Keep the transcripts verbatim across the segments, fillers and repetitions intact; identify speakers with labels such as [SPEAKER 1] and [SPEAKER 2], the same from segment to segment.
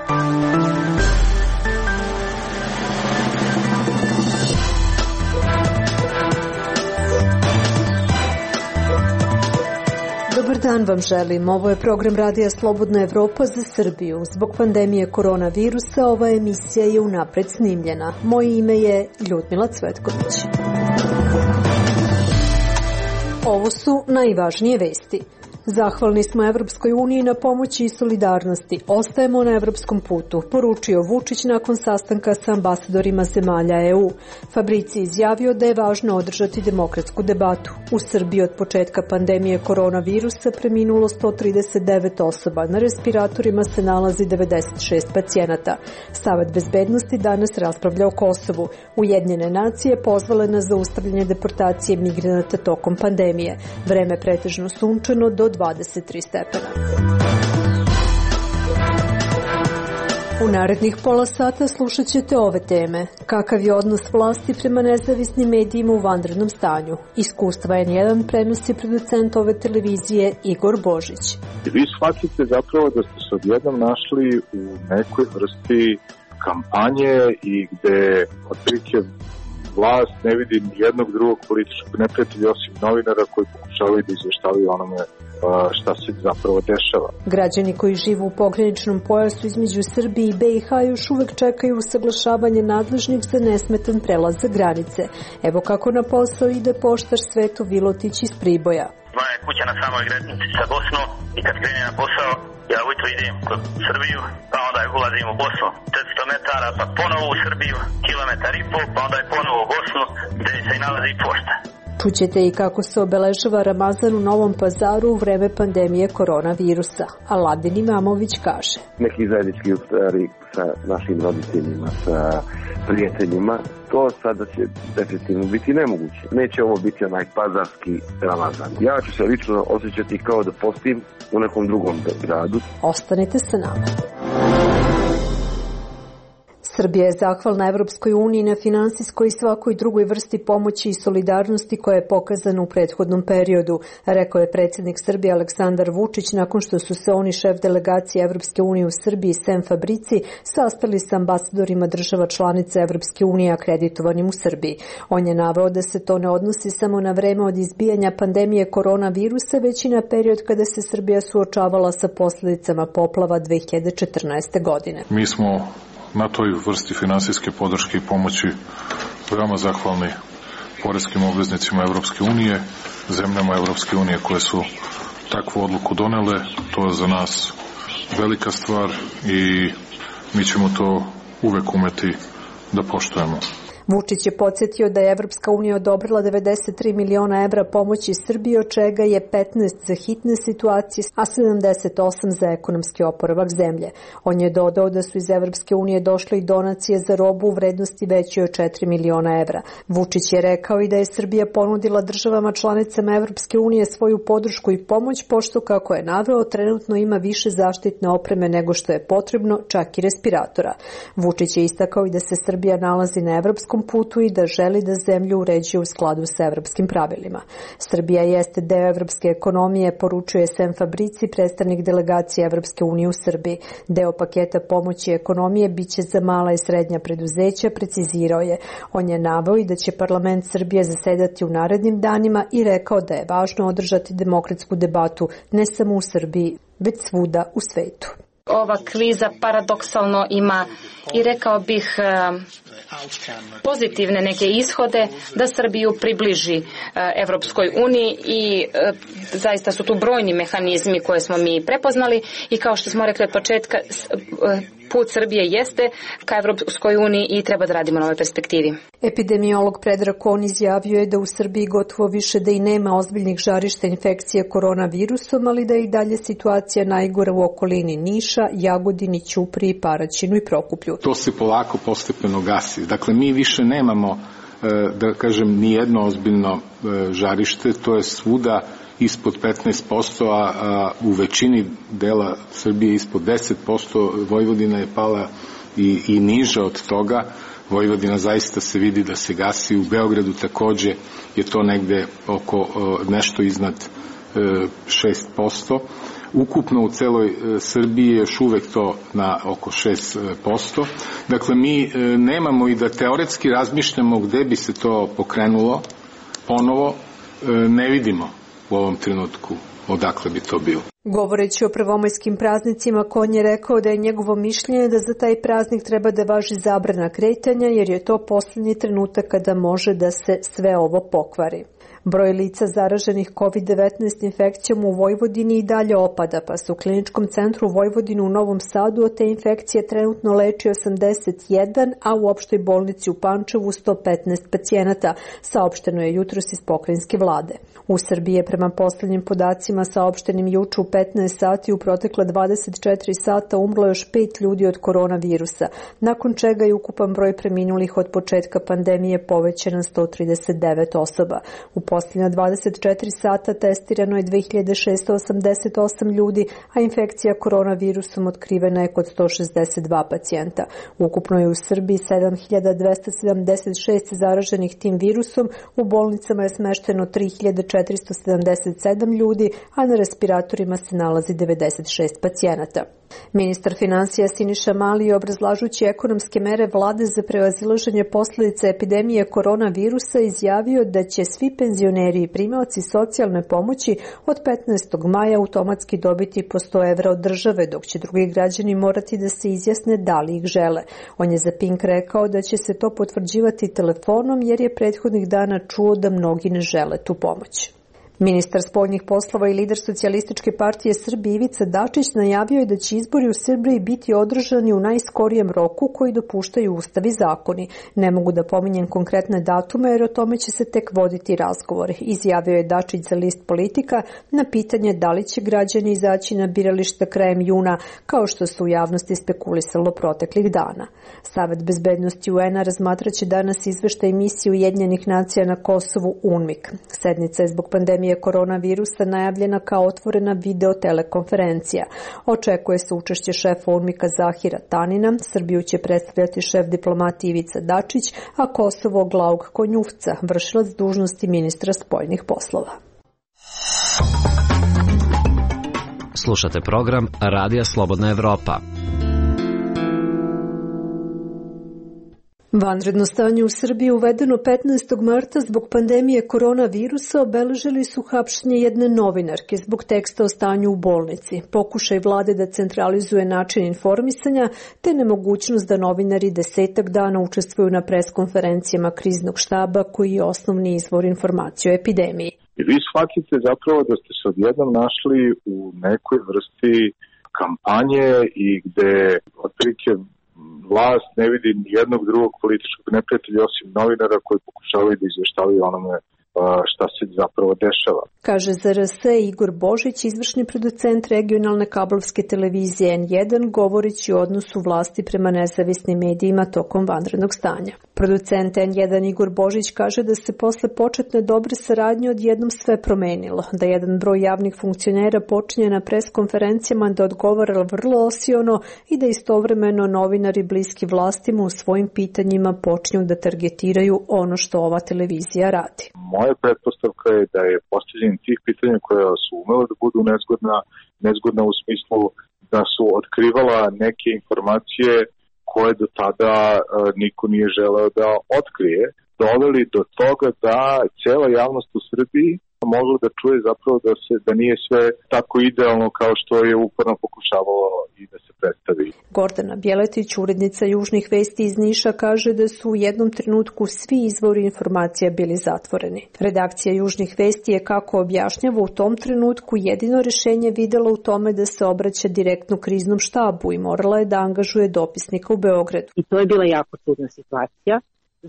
[SPEAKER 1] Dobar dan vam želim. Ovo je program Radija Slobodna Evropa za Srbiju. Zbog pandemije koronavirusa ova emisija je unapred snimljena. Moje ime je Ljudmila Cvetković. Ovo su najvažnije vesti. Zahvalni smo Evropskoj uniji na pomoći i solidarnosti. Ostajemo na evropskom putu, poručio Vučić nakon sastanka sa ambasadorima zemalja E U. Fabrici izjavio da je važno održati demokratsku debatu. U Srbiji od početka pandemije koronavirusa preminulo sto trideset devet osoba. Na respiratorima se nalazi devedeset šest pacijenata. Savet bezbednosti danas raspravlja o Kosovu. Ujedinjene nacije pozvale na zaustavljanje deportacije migranata tokom pandemije. Vreme pretežno sunčano do dvadeset tri stepena. U narednih pola sata slušat ćete ove teme. Kakav je odnos vlasti prema nezavisnim medijima u vanrednom stanju? Iskustva N jedan prenosi producent ove televizije Igor Božić.
[SPEAKER 2] Vi shvatite zapravo da ste se odjednom našli u nekoj vrsti kampanje i gde otprilike vlast ne vidi jednog drugog političkog neprijatelja osim novinara koji pokušavaju da izveštavaju onome šta se zapravo dešava.
[SPEAKER 1] Građani koji žive u pograničnom pojasu između Srbije i B i H još uvek čekaju usaglašavanje nadležnih za nesmetan prelaz za granice. Evo kako na posao ide poštar Sveto Vilotić iz Priboja.
[SPEAKER 3] Moja je kuća na samoj granici sa Bosnom i kad krenem na posao, ja ujutro idem kod Srbiju, pa onda ulazim u Bosnu četiristo metara, pa ponovo u Srbiju, kilometar i pol, pa onda je ponovo u Bosnu gde se i nalazi pošta.
[SPEAKER 1] Čućete i kako se obeležava Ramazan u Novom Pazaru u vreme pandemije koronavirusa. Aladin Imamović kaže.
[SPEAKER 4] Neki zajednički iftari sa našim roditeljima, sa prijateljima, to sada će definitivno biti nemoguće. Neće ovo biti onaj pazarski Ramazan. Ja ću se lično osjećati kao da postim u nekom drugom gradu.
[SPEAKER 1] Ostanite sa nama. Srbija je zahvalna Evropskoj uniji na finansijskoj i svakoj drugoj vrsti pomoći i solidarnosti koja je pokazana u prethodnom periodu, rekao je predsjednik Srbije Aleksandar Vučić nakon što su se oni, šef delegacije Evropske unije u Srbiji Sem Fabrici, sastali sa ambasadorima država članica Evropske unije akreditovanim u Srbiji. On je naveo da se to ne odnosi samo na vreme od izbijanja pandemije koronavirusa, već i na period kada se Srbija suočavala sa posljedicama poplava dve hiljade četrnaeste. godine.
[SPEAKER 5] Mi smo na toj vrsti finansijske podrške i pomoći veoma zahvalni poreskim obveznicima Evropske unije, zemljama Evropske unije koje su takvu odluku donele. To je za nas velika stvar i mi ćemo to uvek umeti da poštujemo.
[SPEAKER 1] Vučić je podsjetio da je Evropska unija odobrila devedeset tri miliona evra pomoći Srbiji, od čega je petnaest za hitne situacije, a sedamdeset osam za ekonomski oporavak zemlje. On je dodao da su iz Evropske unije došle i donacije za robu u vrednosti većoj od četiri miliona evra. Vučić je rekao i da je Srbija ponudila državama članicama Evropske unije svoju podršku i pomoć, pošto, kako je naveo, trenutno ima više zaštitne opreme nego što je potrebno, čak i respiratora. Vučić je istakao i da se Srbija nalazi na evropskom putu i da želi da zemlju uređuje u skladu sa evropskim pravilima. Srbija jeste deo evropske ekonomije, poručuje Sem Fabrici, predstavnik delegacije Evropske unije u Srbiji. Deo paketa pomoći ekonomije biće za mala i srednja preduzeća, precizirao je. On je naveo i da će parlament Srbije zasedati u narednim danima i rekao da je važno održati demokratsku debatu ne samo u Srbiji, već svuda u svetu.
[SPEAKER 6] Ova kriza paradoksalno ima i rekao bih pozitivne neke ishode da Srbiju približi Evropskoj uniji i zaista su tu brojni mehanizmi koje smo mi prepoznali i kao što smo rekli od početka, put Srbije jeste ka Evropskoj uniji i treba da radimo na ovoj perspektivi.
[SPEAKER 1] Epidemiolog Predrag Kon izjavio je da u Srbiji gotovo više da i nema ozbiljnih žarišta infekcije koronavirusom, ali da je i dalje situacija najgora u okolini Niša, Jagodini, Ćupriji, Paraćinu i Prokuplju.
[SPEAKER 7] To se polako postepeno gasi. Dakle, mi više nemamo, da kažem, ni jedno ozbiljno žarište, to je svuda ispod petnaest posto, a u većini dela Srbije ispod deset posto, Vojvodina je pala i, i niža od toga. Vojvodina zaista se vidi da se gasi, u Beogradu takođe je to negde oko nešto iznad šest posto. Ukupno u celoj Srbiji je još uvek to na oko šest posto. Dakle, mi nemamo i da teoretski razmišljamo gde bi se to pokrenulo ponovo, ne vidimo u ovom trenutku odakle bi to bilo.
[SPEAKER 1] Govoreći o prvomajskim praznicima, Konj je rekao da je njegovo mišljenje da za taj praznik treba da važi zabrana kretanja, jer je to posljednji trenutak kada može da se sve ovo pokvari. Broj lica zaraženih kovid devetnaest infekcijom u Vojvodini i dalje opada, pa se u Kliničkom centru Vojvodine u Novom Sadu od te infekcije trenutno leči osamdeset jedan, a u opštoj bolnici u Pančevu sto petnaest pacijenata, saopšteno je jutros iz pokrajinske vlade. U Srbiji je prema poslednjim podacima saopštenim juče u petnaest sati u protekla dvadeset četiri sata umrlo još pet ljudi od koronavirusa, nakon čega je ukupan broj preminulih od početka pandemije povećan na sto trideset devet osoba. U posljednja dvadeset četiri sata testirano je dve hiljade šessto osamdeset osam ljudi, a infekcija koronavirusom otkrivena je kod sto šezdeset dva pacijenta. Ukupno je u Srbiji sedam hiljada dvesta sedamdeset šest zaraženih tim virusom, u bolnicama je smešteno tri hiljade četiristo sedamdeset sedam ljudi, a na respiratorima se nalazi devedeset šest pacijenata. Ministar finansija Siniša Mali, obrazlažući ekonomske mere vlade za prevazilaženje posledica epidemije koronavirusa, izjavio da će svi penzioneri i primaoci socijalne pomoći od petnaestog maja automatski dobiti po sto evra od države, dok će drugi građani morati da se izjasne da li ih žele. On je za Pink rekao da će se to potvrđivati telefonom, jer je prethodnih dana čuo da mnogi ne žele tu pomoć. Ministar spoljnih poslova i lider Socijalističke partije Srbije Ivica Dačić najavio je da će izbori u Srbiji biti održani u najskorijem roku koji dopuštaju ustav i zakoni. Ne mogu da pominjem konkretne datume jer o tome će se tek voditi razgovor, izjavio je Dačić za list Politika na pitanje da li će građani izaći na birališta krajem juna, kao što su u javnosti spekulisalo proteklih dana. Savet bezbednosti U N-a razmatraće danas izveštaj misije Ujedinjenih nacija na Kosovu UNMIK. Sednica je zbog pandemije koronavirusa najavljena kao otvorena video telekonferencija. Očekuje se učešće šefa UNMIK-a Zahira Tanina, Srbiju će predstavljati šef diplomatije Ivica Dačić, a Kosovo Glaug Konjufca, vršilac dužnosti ministra spoljnih poslova.
[SPEAKER 8] Slušate program Radija Slobodna Evropa.
[SPEAKER 1] Vanredno stanje u Srbiji uvedeno petnaestog marta zbog pandemije koronavirusa obeležili su hapšenje jedne novinarke zbog teksta o stanju u bolnici, pokušaj vlade da centralizuje način informisanja te nemogućnost da novinari desetak dana učestvuju na preskonferencijama kriznog štaba koji je osnovni izvor informacije o epidemiji.
[SPEAKER 2] I vi shvatite zapravo da ste se odjednom našli u nekoj vrsti kampanje i gde otprilike vlast ne vidi ni jednog drugog političkog neprijatelja osim novinara koji pokušavaju da izveštavaju onome šta se zapravo dešava.
[SPEAKER 1] Kaže za R S Igor Božić, izvršni producent regionalne kablovske televizije N jedan, govoreći o odnosu vlasti prema nezavisnim medijima tokom vanrednog stanja. Producent N jedan Igor Božić kaže da se posle početne dobre saradnje odjednom sve promenilo, da jedan broj javnih funkcionera počinje na preskonferencijama da odgovara vrlo osiono i da istovremeno novinari bliski vlastima u svojim pitanjima počinju da targetiraju ono što ova televizija radi.
[SPEAKER 2] Moja pretpostavka je da je postavljanje tih pitanja koja su umela da budu nezgodna, nezgodna u smislu da su otkrivala neke informacije koje do tada uh, niko nije želeo da otkrije, doveli do toga da cela javnost u Srbiji mogla da čuje zapravo da se da nije sve tako idealno kao što je uporno pokušavalo i da se predstavi.
[SPEAKER 1] Gordana Bjeletić, urednica Južnih vesti iz Niša, kaže da su u jednom trenutku svi izvori informacija bili zatvoreni. Redakcija Južnih vesti je, kako objašnjava, u tom trenutku jedino rešenje videla u tome da se obraća direktno kriznom štabu i morala je da angažuje dopisnika u Beogradu.
[SPEAKER 9] I to je bila jako čudna situacija,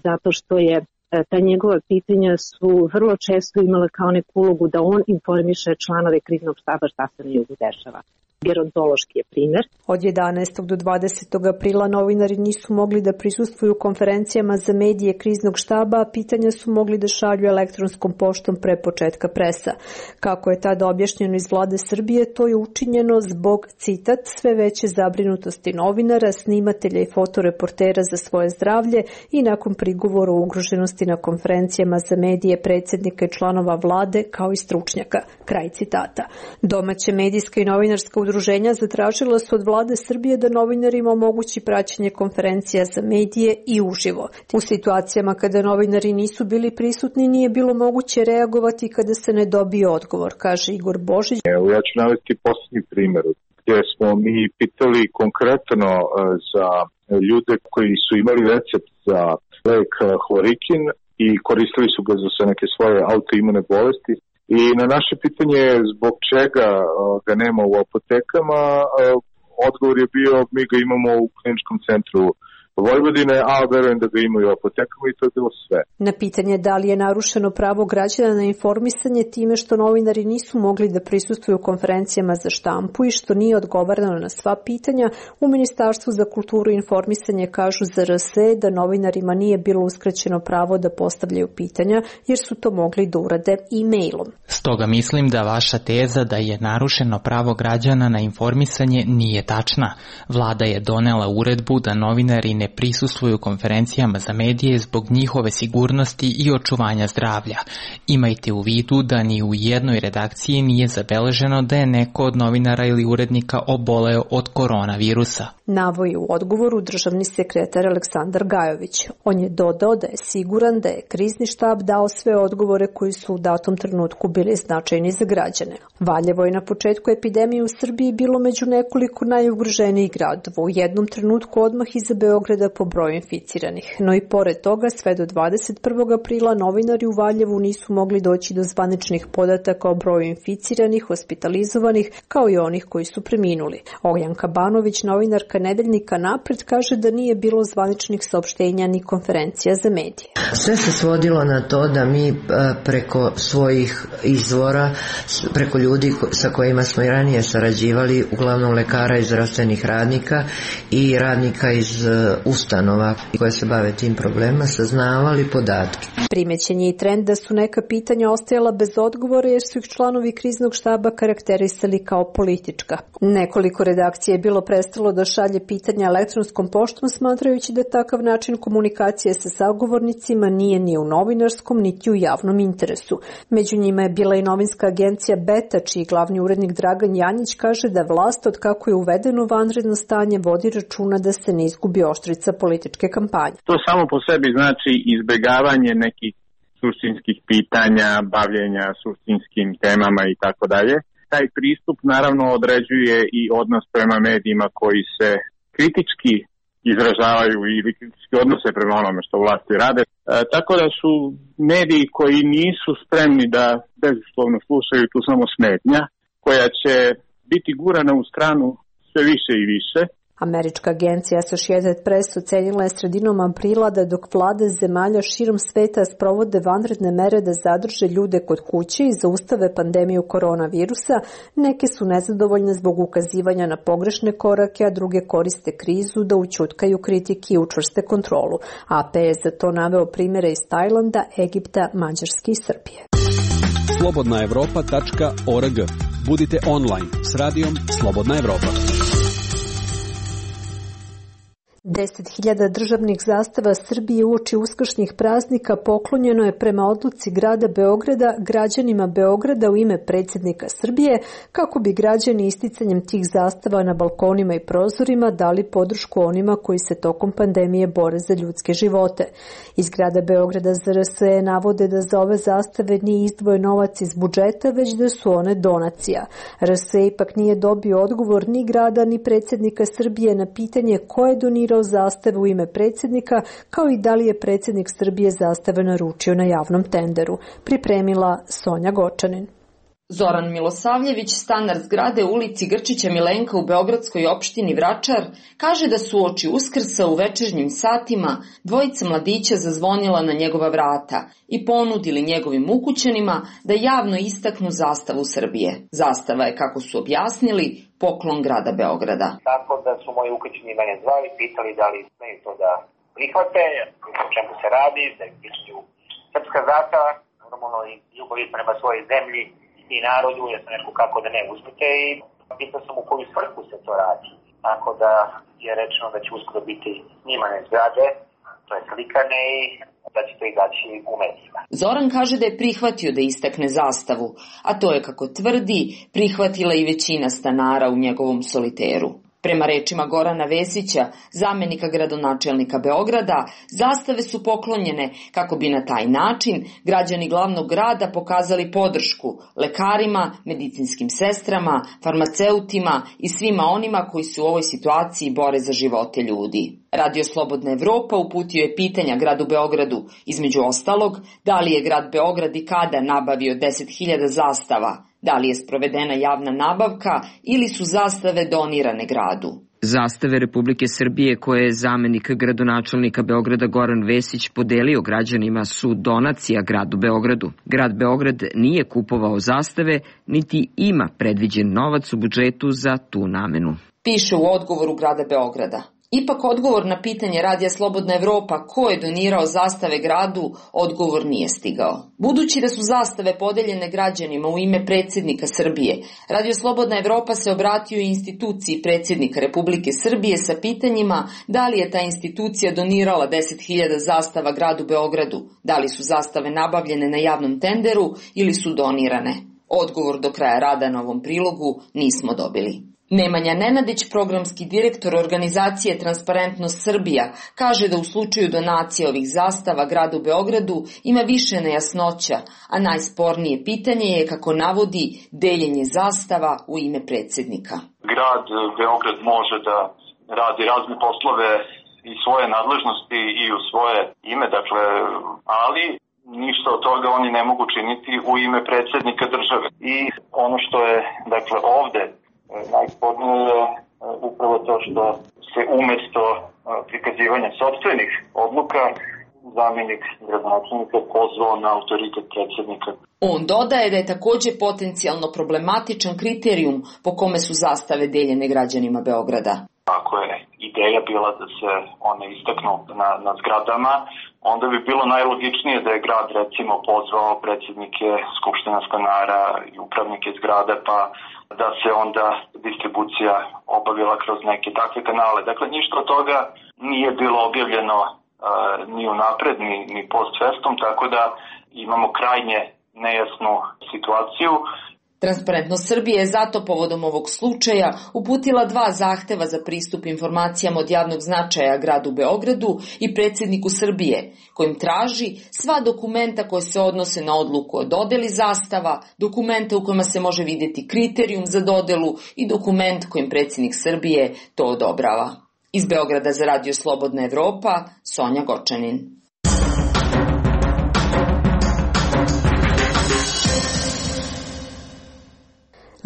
[SPEAKER 9] zato što je ta njegova pitanja su vrlo često imala kao neku ulogu da on informiše članove kriznog štaba šta se na jugu dešava. Gerontološki je primer.
[SPEAKER 1] Od jedanaestog do dvadesetog aprila novinari nisu mogli da prisustvuju konferencijama za medije kriznog štaba, a pitanja su mogli da šalju elektronskom poštom pre početka presa. Kako je tada objašnjeno iz vlade Srbije, to je učinjeno zbog, citat, sve veće zabrinutosti novinara, snimatelja i fotoreportera za svoje zdravlje i nakon prigovora o ugroženosti na konferencijama za medije predsjednika i članova vlade kao i stručnjaka. Kraj citata. Domaće medijska i novinarska udruženja zatražila su od vlade Srbije da novinarima omogući praćenje konferencija za medije i uživo. U situacijama kada novinari nisu bili prisutni nije bilo moguće reagovati kada se ne dobije odgovor, kaže Igor Božić.
[SPEAKER 2] Evo, ja ću navesti posljednji primjer gdje smo mi pitali konkretno za ljude koji su imali recept za lek hlorikin i koristili su ga za neke svoje autoimune bolesti. I na naše pitanje zbog čega ga nema u apotekama, odgovor je bio mi ga imamo u kliničkom centru Vojvodine, a verujem da ga imaju u apotekama i to je bilo sve.
[SPEAKER 1] Na pitanje da li je narušeno pravo građana na informisanje time što novinari nisu mogli da prisustvuju konferencijama za štampu i što nije odgovarano na sva pitanja, u Ministarstvu za kulturu i informisanje kažu za R S E da novinarima nije bilo uskraćeno pravo da postavljaju pitanja jer su to mogli da urade e-mailom.
[SPEAKER 10] Stoga mislim da vaša teza da je narušeno pravo građana na informisanje nije tačna. Vlada je donela uredbu da novinari ne prisustvuju konferencijama za medije zbog njihove sigurnosti i očuvanja zdravlja. Imajte u vidu da ni u jednoj redakciji nije zabeleženo da je neko od novinara ili urednika oboleo od koronavirusa.
[SPEAKER 1] Navoji u odgovoru državni sekretar Aleksandar Gajović. On je dodao da je siguran da je krizni štab dao sve odgovore koji su u datom trenutku bili značajni za građane. Valjevo je na početku epidemije u Srbiji bilo među nekoliko najugroženijih gradova. U jednom trenutku odmah iza Beograda po broju inficiranih. No i pored toga, sve do dvadeset prvog aprila novinari u Valjevu nisu mogli doći do zvaničnih podataka o broju inficiranih, hospitalizovanih, kao i onih koji su preminuli. Ognjanka Banović, novinarka nedeljnika Napred, kaže da nije bilo zvaničnih saopštenja ni konferencija za medije.
[SPEAKER 11] Sve se svodilo na to da mi preko svojih izvora, preko ljudi sa kojima smo i ranije sarađivali, uglavnom lekara i zdravstvenih radnika i radnika iz ustanova koje se bave tim problemima, saznavali podatke.
[SPEAKER 1] Primećen je i trend da su neka pitanja ostajala bez odgovora jer su ih članovi kriznog štaba karakterisali kao politička. Nekoliko redakcija je bilo prestalo da šalje pitanja elektronskom poštom, smatrajući da takav način komunikacije sa sagovornicima nije ni u novinarskom niti u javnom interesu. Među njima je bila i novinska agencija Beta, čiji glavni urednik Dragan Janjić kaže da vlast od kako je uvedeno vanredno stanje vodi računa da se ne izgubi oštrica političke kampanje.
[SPEAKER 12] To samo po sebi znači izbegavanje nekih suštinskih pitanja, bavljenja suštinskim temama i tako dalje. Taj pristup naravno određuje i odnos prema medijima koji se kritički izražavaju ili kritički odnose prema onome što vlasti rade. E, tako da su mediji koji nisu spremni da bezuslovno slušaju tu samo smetnja, koja će biti gurana u stranu sve više i više.
[SPEAKER 1] Američka agencija Associated Press ocenila je sredinom aprila da dok vlade zemalja širom sveta sprovode vanredne mere da zadrže ljude kod kuće i zaustave pandemiju koronavirusa, neke su nezadovoljne zbog ukazivanja na pogrešne korake, a druge koriste krizu da ućutkaju kritike i učvrste kontrolu. A P je za to naveo primjere iz Tajlanda, Egipta, Mađarske i Srbije.
[SPEAKER 13] slobodna evropa tačka org. Budite online s radijom Slobodna Evropa.
[SPEAKER 1] deset hiljada državnih zastava Srbije uoči uskršnjih praznika poklonjeno je prema odluci grada Beograda građanima Beograda u ime predsjednika Srbije, kako bi građani isticanjem tih zastava na balkonima i prozorima dali podršku onima koji se tokom pandemije bore za ljudske živote. Iz grada Beograda za R S E navode da za ove zastave nije izdvojen novac iz budžeta, već da su one donacija. R S E ipak nije dobio odgovor ni grada ni predsjednika Srbije na pitanje ko je donirao zastave u ime predsjednika, kao i da li je predsjednik Srbije zastave naručio na javnom tenderu. Pripremila Sonja Gočanin.
[SPEAKER 14] Zoran Milosavljević, stanar zgrade u ulici Grčića Milenka u beogradskoj opštini Vračar, kaže da su oči Uskrsa u večernjim satima dvojica mladića zazvonila na njegova vrata i ponudili njegovim ukućanima da javno istaknu zastavu Srbije. Zastava je, kako su objasnili, poklon grada Beograda.
[SPEAKER 15] Tako da su moji ukućani mene zvali, pitali da li smeju to da prihvate, o čemu se radi, da je pitanju srpska zastava, normalno i ljubav prema svojoj zemlji i narodu, ja sam rekao kako da ne uzmite i pitao sam u koju svrhu se to radi. Tako da je rečeno da će uskoro biti snimane zgrade, to je slikane i da će to izaći u medijima.
[SPEAKER 14] Zoran kaže da je prihvatio da istakne zastavu, a to je, kako tvrdi, prihvatila i većina stanara u njegovom soliteru. Prema rečima Gorana Vesića, zamenika gradonačelnika Beograda, zastave su poklonjene kako bi na taj način građani glavnog grada pokazali podršku lekarima, medicinskim sestrama, farmaceutima i svima onima koji se u ovoj situaciji bore za živote ljudi. Radio Slobodna Evropa uputio je pitanja gradu Beogradu, između ostalog, da li je grad Beograd i kada nabavio deset hiljada zastava, da li je sprovedena javna nabavka ili su zastave donirane gradu.
[SPEAKER 16] Zastave Republike Srbije koje je zamenik gradonačelnika Beograda Goran Vesić podelio građanima su donacija gradu Beogradu. Grad Beograd nije kupovao zastave, niti ima predviđen novac u budžetu za tu namenu.
[SPEAKER 14] Piše u odgovoru grada Beograda. Ipak odgovor na pitanje Radija Slobodna Evropa ko je donirao zastave gradu, odgovor nije stigao. Budući da su zastave podeljene građanima u ime predsjednika Srbije, Radio Slobodna Evropa se obratio instituciji predsjednika Republike Srbije sa pitanjima da li je ta institucija donirala deset hiljada zastava gradu Beogradu, da li su zastave nabavljene na javnom tenderu ili su donirane. Odgovor do kraja rada na ovom prilogu nismo dobili. Nemanja Nenadić, programski direktor organizacije Transparentnost Srbija, kaže da u slučaju donacije ovih zastava gradu Beogradu ima više nejasnoća, a najspornije pitanje je, kako navodi, deljenje zastava u ime predsjednika.
[SPEAKER 17] Grad Beograd može da radi razne poslove i svoje nadležnosti i u svoje ime, dakle, ali ništa od toga oni ne mogu činiti u ime predsjednika države. I ono što je, dakle, ovde najspornije je upravo to što se umesto prikazivanja sopstvenih odluka zamjenik gradonačelnika pozvao na autoritet predsjednika.
[SPEAKER 14] On dodaje da je također potencijalno problematičan kriterijum po kome su zastave deljene građanima Beograda.
[SPEAKER 17] Ako je ideja bila da se one istaknu na, na zgradama, onda bi bilo najlogičnije da je grad recimo pozvao predsjednike skupština stanara i upravnike zgrada, pa da se onda distribucija obavila kroz neke takve kanale. Dakle, ništa od toga nije bilo objavljeno uh, ni unapred, ni, ni post festum, tako da imamo krajnje nejasnu situaciju.
[SPEAKER 14] Transparentnost Srbije je zato povodom ovog slučaja uputila dva zahteva za pristup informacijama od javnog značaja gradu Beogradu i predsjedniku Srbije, kojim traži sva dokumenta koje se odnose na odluku o dodeli zastava, dokumenta u kojima se može vidjeti kriterijum za dodelu i dokument kojim predsjednik Srbije to odobrava. Iz Beograda za Radio Slobodna Evropa, Sonja Gočanin.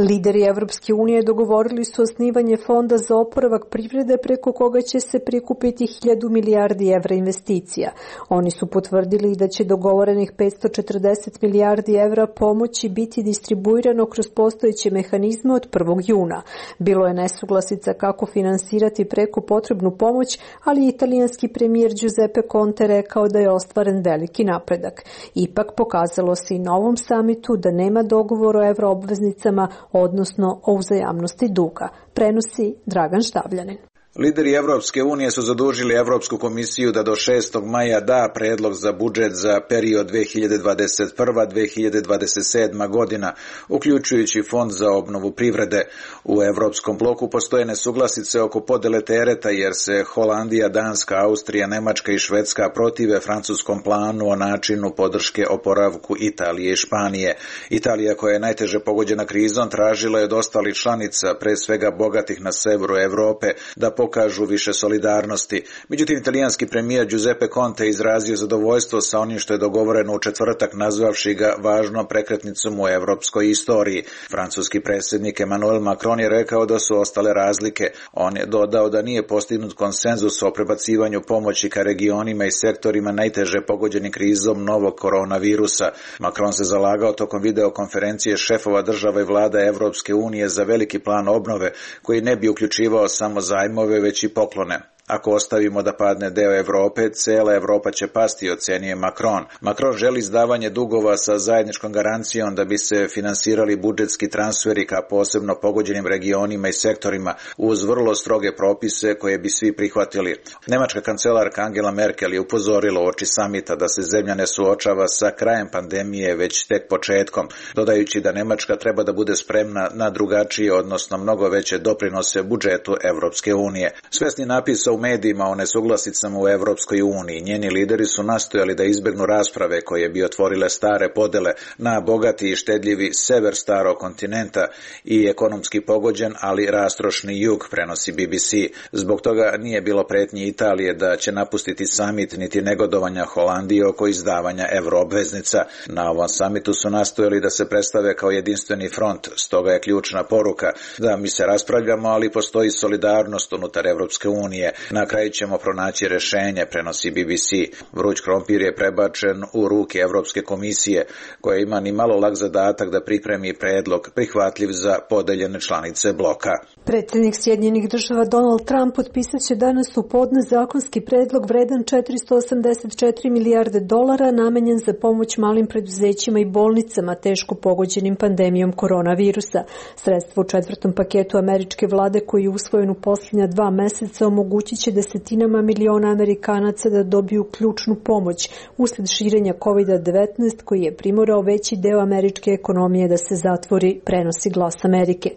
[SPEAKER 1] Lideri Evropske unije dogovorili su osnivanje fonda za oporavak privrede preko koga će se prikupiti hiljadu milijardi evra investicija. Oni su potvrdili da će dogovorenih petsto četrdeset milijardi evra pomoći biti distribuirano kroz postojeće mehanizme od prvog juna. Bilo je nesuglasica kako finansirati preko potrebnu pomoć, ali italijanski premijer Giuseppe Conte rekao da je ostvaren veliki napredak. Ipak pokazalo se i na ovom samitu da nema dogovora o evroobveznicama, odnosno o uzajamnosti duga, prenosi Dragan Štavljanin.
[SPEAKER 18] Lideri Evropske unije su zadužili Evropsku komisiju da do šestog maja da predlog za budžet za period dve hiljade dvadeset prva do dve hiljade dvadeset sedma godina, uključujući fond za obnovu privrede. U Evropskom bloku postoje nesuglasice oko podele tereta jer se Holandija, Danska, Austrija, Nemačka i Švedska protive francuskom planu o načinu podrške oporavku Italije i Španije. Italija, koja je najteže pogođena krizom, tražila je od ostalih članica, pre svega bogatih na severu Evrope, da pokažu više solidarnosti. Međutim, italijanski premijer Giuseppe Conte izrazio zadovoljstvo sa onim što je dogovoreno u četvrtak, nazvavši ga važnom prekretnicom u evropskoj istoriji. Francuski predsjednik Emmanuel Macron je rekao da su ostale razlike. On je dodao da nije postignut konsenzus o prebacivanju pomoći ka regionima i sektorima najteže pogođeni krizom novog koronavirusa. Macron se zalagao tokom videokonferencije šefova država i vlada Evropske unije za veliki plan obnove koji ne bi uključivao samo zajmove već i poklone. Ako ostavimo da padne deo Evrope, cela Evropa će pasti, ocenio Macron. Macron želi izdavanje dugova sa zajedničkom garancijom da bi se finansirali budžetski transferi ka posebno pogođenim regionima i sektorima uz vrlo stroge propise koje bi svi prihvatili. Nemačka kancelarka Angela Merkel je upozorila uoči samita da se zemlja ne suočava sa krajem pandemije već tek početkom, dodajući da Nemačka treba da bude spremna na drugačije, odnosno mnogo veće doprinose budžetu Evropske unije. Svesni napisa u medijima o nesuglasicama u Evropskoj uniji, njeni lideri su nastojali da izbegnu rasprave koje bi otvorile stare podele na bogati i štedljivi sever starog kontinenta i ekonomski pogođen, ali rastrošni jug, prenosi B B C. Zbog toga nije bilo pretnji Italije da će napustiti samit, niti negodovanja Holandije oko izdavanja evroobveznica. Na ovom samitu su nastojali da se predstave kao jedinstveni front, stoga je ključna poruka da mi se raspravljamo, ali postoji solidarnost unutar Evropske unije. Na kraju ćemo pronaći rešenje, prenosi B B C. Vruć krompir je prebačen u ruke Evropske komisije, koja ima ni malo lak zadatak da pripremi predlog prihvatljiv za podeljene članice bloka.
[SPEAKER 1] Predsjednik Sjedinjenih država Donald Trump potpisat će danas u podne zakonski predlog vredan četiristo osamdeset četiri milijarde dolara namenjen za pomoć malim preduzećima i bolnicama teško pogođenim pandemijom koronavirusa. Sredstvo u četvrtom paketu američke vlade koji je usvojen u posljednja dva meseca omogućit će desetinama miliona Amerikanaca da dobiju ključnu pomoć usled širenja kovid devetnaest koji je primorao veći deo američke ekonomije da se zatvori, prenosi Glas Amerike.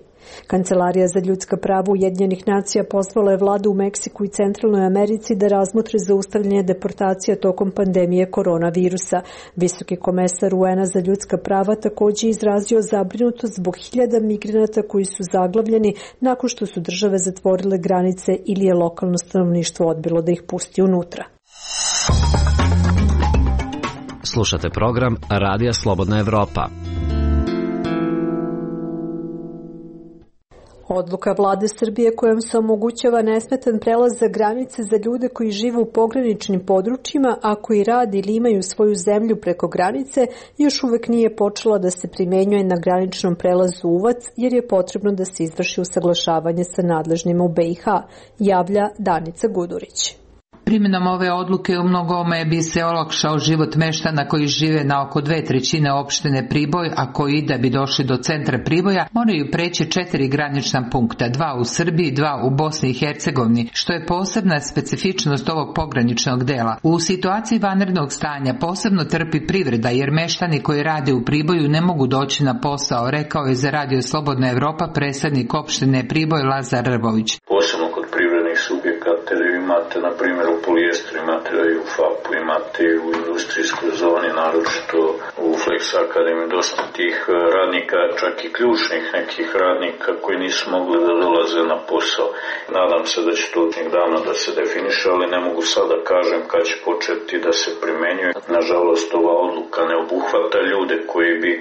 [SPEAKER 1] Kancelarija za ljudska prava Ujedinjenih nacija pozvala je vladu u Meksiku i Centralnoj Americi da razmotre zaustavljanje deportacija tokom pandemije koronavirusa. Visoki komesar U N A za ljudska prava također izrazio zabrinutost zbog hiljada migranata koji su zaglavljeni nakon što su države zatvorile granice ili je lokalno stanovništvo odbilo da ih pusti unutra.
[SPEAKER 8] Slušate program Radija Slobodna Evropa.
[SPEAKER 1] Odluka vlade Srbije kojom se omogućava nesmetan prelaz za granice za ljude koji žive u pograničnim područjima, a koji rade ili imaju svoju zemlju preko granice, još uvek nije počela da se primenjuje na graničnom prelazu Uvac, jer je potrebno da se izvrši usaglašavanje sa nadležnima u B i H, javlja Danica Gudurić.
[SPEAKER 19] Primjenom ove odluke u mnogome bi se olakšao život meštana koji žive na oko dve trećine opštine Priboj, a koji da bi došli do centra Priboja moraju preći četiri granična punkta, dva u Srbiji, dva u Bosni i Hercegovini, što je posebna specifičnost ovog pograničnog dela. U situaciji vanrednog stanja posebno trpi privreda, jer meštani koji rade u Priboju ne mogu doći na posao, rekao je za Radio Slobodna Evropa predsjednik opštine Priboj Lazar Rvović.
[SPEAKER 20] Posebno kod privrednih subjekata imate, na primjer, u polijestru, imate i u F A P-u, imate i u industrijskoj zoni, naročito u Flex Akademiji, dosta tih radnika, čak i ključnih nekih radnika koji nisu mogli da dolaze na posao. Nadam se da će to od njih davno da se definiše, ali ne mogu sada kažem kad će početi da se primenjuje. Nažalost, ova odluka ne obuhvata ljude koji bi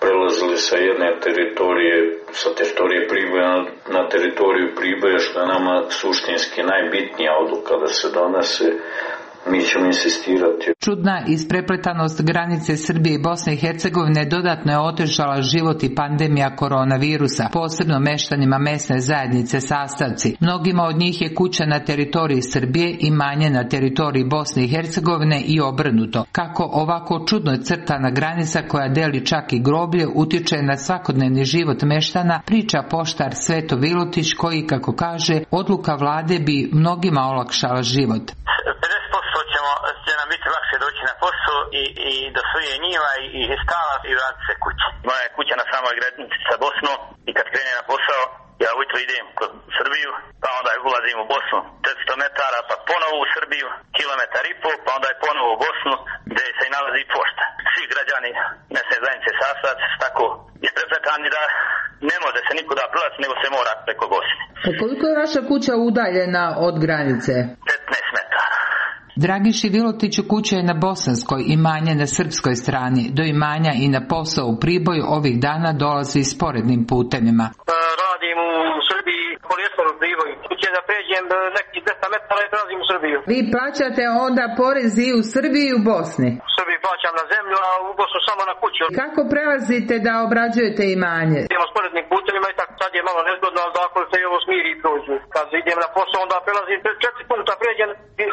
[SPEAKER 20] prelazili sa jedne teritorije, sa teritorije Priboja na teritoriju Priboja, što je nama suštinski najbitnija odluka da se donese. Mi ćemo insistirati.
[SPEAKER 19] Čudna isprepletanost granice Srbije i Bosne i Hercegovine dodatno je otežala život i pandemija koronavirusa, posebno meštanima mesne zajednice Sastavci. Mnogima od njih je kuća na teritoriji Srbije i manje na teritoriji Bosne i Hercegovine i obrnuto. Kako ovako čudno crtana granica koja deli čak i groblje utiče na svakodnevni život meštana, priča poštar Sveto Vilutić koji, kako kaže, odluka vlade bi mnogima olakšala život.
[SPEAKER 3] će nam biti lakše doći na posao i, i do svoje njiva i, i stala i vratiti se kući. Moja je kuća na samoj granici sa Bosnom i kad krenem na posao, ja ujutro idem kod Srbiju, pa onda ulazim u Bosnu četiristo metara, pa ponovo u Srbiju, kilometar i pol, pa onda je ponovo u Bosnu gdje se nalazi pošta. Svi građani mesne zajednice Sastav su tako isprepletani da ne može se nikuda prelaziti, nego se mora preko Bosne.
[SPEAKER 19] A koliko je vaša kuća udaljena od granice?
[SPEAKER 3] petnaest metara.
[SPEAKER 19] Dragiši Vilotiću kuća je na bosanskoj, imanje na srpskoj strani. Do imanja i na posao u Priboju ovih dana dolazi sporednim putevima.
[SPEAKER 15] Radim u Srbiji, polijestor u Priboju. Kuće da pređem nekih deset metara i prelazim u Srbiju.
[SPEAKER 19] Vi plaćate onda porez i u Srbiji i u Bosni?
[SPEAKER 15] U Srbiji plaćam na zemlju, a u Bosnu samo na kuću.
[SPEAKER 19] Kako prelazite da obrađujete imanje?
[SPEAKER 15] Idemo sporednim putevima i tako sad je malo nezgodno, ali zakon se i ovo smiri i prođu. Kad idem na posao, onda prelazim četiri puta pređem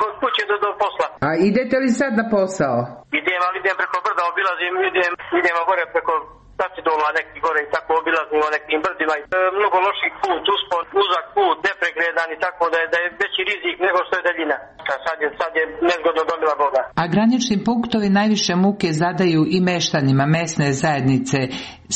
[SPEAKER 15] od kuće do, do posla.
[SPEAKER 19] A idete li sad na posao?
[SPEAKER 15] Idem, ali idem preko brda, obilazim, idem, idemo gore preko Tacidola, neki gore i tako obilazim o nekim brdima. E, mnogo loših put, uspon, uzak put, nepregledan i tako da je, da je veći rizik nego što je daljina. Sad je, sad je nezgodno domila Boga.
[SPEAKER 19] A granični punktovi najviše muke zadaju i meštanima mesne zajednice,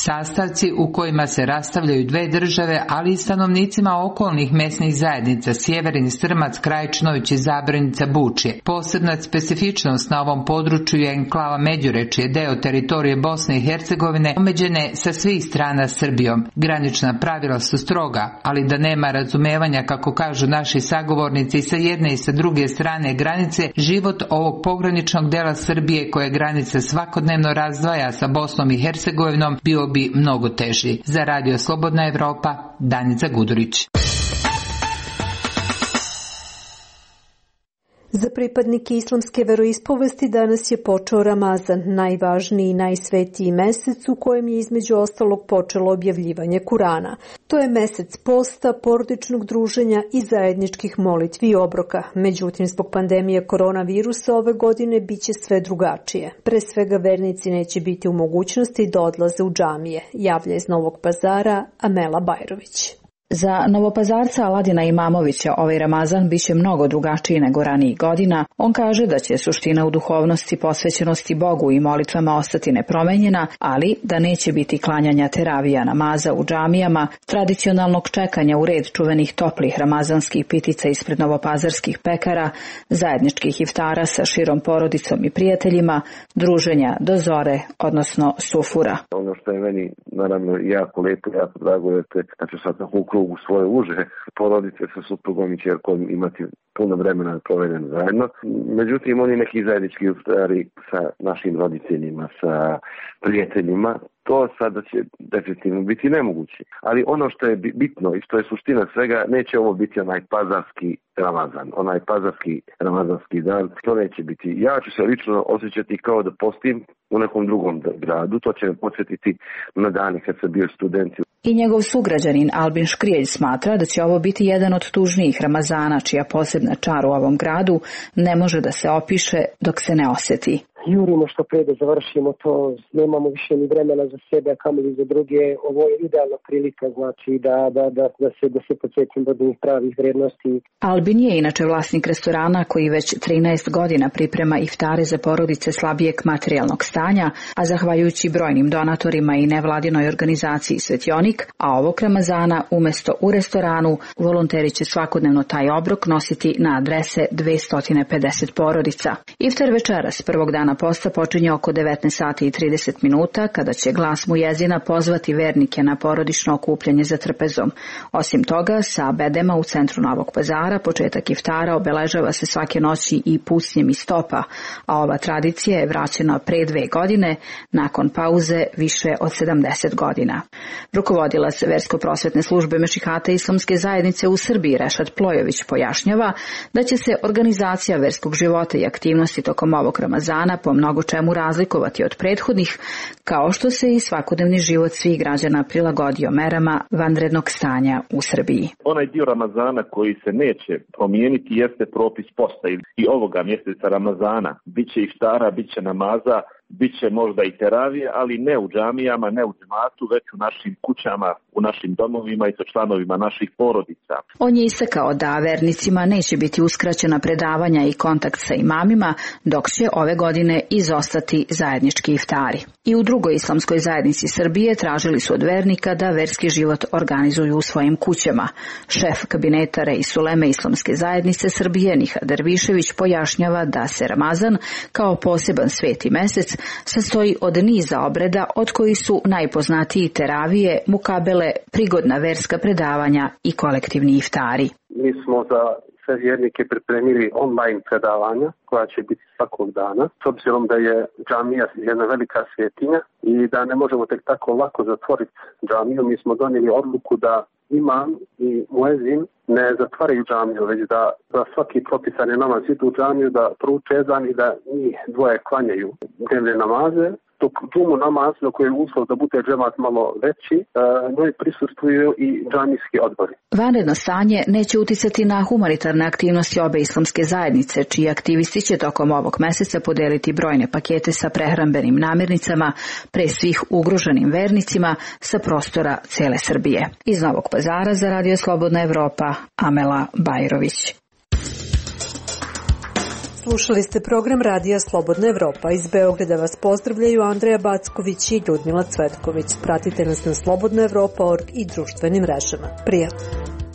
[SPEAKER 19] sastavci u kojima se rastavljaju dve države, ali i stanovnicima okolnih mesnih zajednica Sjeverin, Strmac, Krajičnović i Zabranica, Bučje. Posebna specifičnost na ovom području je enklava Međurečje, deo teritorije Bosne i Hercegovine, omeđene sa svih strana Srbijom. Granična pravila su stroga, ali da nema razumevanja, kako kažu naši sagovornici, sa jedne i sa druge strane granice, život ovog pograničnog dela Srbije koje granica svakodnevno razdvaja sa Bosnom i Hercegovinom bio bi mnogo teži. Za Radio Slobodna Evropa, Danica Gudurić.
[SPEAKER 1] Za pripadnike islamske veroispovesti danas je počeo Ramazan, najvažniji i najsvetiji mesec u kojem je između ostalog počelo objavljivanje Kurana. To je mesec posta, porodičnog druženja i zajedničkih molitvi i obroka. Međutim, zbog pandemije koronavirusa ove godine biće sve drugačije. Pre svega vernici neće biti u mogućnosti da odlaze u džamije, javlja iz Novog Pazara Amela Bajrović.
[SPEAKER 21] Za Novopazarca Aladina Imamovića ovaj Ramazan biće mnogo drugačiji nego ranijih godina. On kaže da će suština u duhovnosti, posvećenosti Bogu i molitvama ostati nepromenjena, ali da neće biti klanjanja teravija namaza u džamijama, tradicionalnog čekanja u red čuvenih toplih ramazanskih pitica ispred novopazarskih pekara, zajedničkih iftara sa širom porodicom i prijateljima, druženja do zore, odnosno sufura.
[SPEAKER 4] Ono što je meni naravno jako lepo, jako drago je da ću sad na u svoje uže porodice sa suprugom i ćerkom imati puno vremena provedeno zajedno. Međutim, oni neki zajednički iftari sa našim roditeljima, sa prijateljima, to sada će definitivno biti nemoguće. Ali ono što je bitno i što je suština svega, neće ovo biti onaj pazarski Ramazan, onaj pazarski ramazanski dan, to neće biti. Ja ću se lično osjećati kao da postim u nekom drugom gradu, to će me podsjetiti na dani kad sam bio student.
[SPEAKER 21] I njegov sugrađanin Albin Škrijelj smatra da će ovo biti jedan od tužnijih Ramazana, čija posebna čar u ovom gradu ne može da se opiše dok se ne osjeti.
[SPEAKER 22] Jurimo što pre da završimo to, nemamo više ni vremena za sebe, a kamoli za druge. Ovo je idealna prilika, znači da, da, da, da se, da se podsjetim do njih pravih vrednosti.
[SPEAKER 21] Albin je inače vlasnik restorana koji već trinaest godina priprema iftare za porodice slabijeg materijalnog stanja, a zahvaljujući brojnim donatorima i nevladinoj organizaciji Svetionik, a ovog Ramazana umesto u restoranu, volonteri će svakodnevno taj obrok nositi na adrese dvesta pedeset porodica. Iftar večeras prvog dana posta počinje oko devetnaest sati i trideset minuta, kada će glas mujezina pozvati vernike na porodično okupljanje za trpezom. Osim toga, sa bedema u centru Novog Pazara početak iftara obeležava se svake noći i pucnjem iz stopa, a ova tradicija je vraćena pre dve godine, nakon pauze više od sedamdeset godina. Rukovodilac versko-prosvetne službe Mešihata Islamske zajednice u Srbiji Rešad Plojević pojašnjava da će se organizacija verskog života i aktivnosti tokom ovog Ramazana po mnogo čemu razlikovati od prethodnih, kao što se i svakodnevni život svih građana prilagodio merama vanrednog stanja u Srbiji.
[SPEAKER 23] Onaj dio Ramazana koji se neće promijeniti jeste propis posta i ovoga mjeseca Ramazana. Biće iftara, biće namaza, biće možda i teravije, ali ne u džamijama, ne u džematu, već u našim kućama, u našim domovima i sa članovima naših porodica.
[SPEAKER 21] On je istakao da vernicima neće biti uskraćena predavanja i kontakt sa imamima, dok će ove godine izostati zajednički iftari. I u drugoj islamskoj zajednici Srbije tražili su od vernika da verski život organizuju u svojim kućama. Šef kabineta Reis Uleme Islamske zajednice Srbije Nihat Dervišević pojašnjava da se Ramazan kao poseban sveti mesec sastoji od niza obreda, od kojih su najpoznatiji teravije, mukabele, prigodna verska predavanja i kolektivni iftari.
[SPEAKER 5] Mi smo za sve vjernike pripremili online predavanja koja će biti svakog dana, s obzirom da je džamija jedna velika svetinja i da ne možemo tek tako lako zatvoriti džamiju. Mi smo donijeli odluku da imam i muezin ne zatvaraju džamiju, već da za svaki propisani namaz idu u džamiju, da prouče ezan i da njih dvoje klanjaju dnevne namaze. Dok džumu namaz, na koji je uslov da bude džemat malo veći, njoj prisustvuju i džamijski odbori.
[SPEAKER 21] Vanredno stanje neće uticati na humanitarne aktivnosti obe islamske zajednice, čiji aktivisti će tokom ovog meseca podeliti brojne pakete sa prehrambenim namirnicama, pre svih ugroženim vernicima sa prostora cele Srbije. Iz Novog Pazara za Radio Slobodna Evropa, Amela Bajrović.
[SPEAKER 1] Slušali ste program Radija Slobodna Evropa. Iz Beograda vas pozdravljaju Andreja Backović i Ljudmila Cvetković. Pratite nas na slobodna evropa tačka org i društvenim mrežama. Prijatno!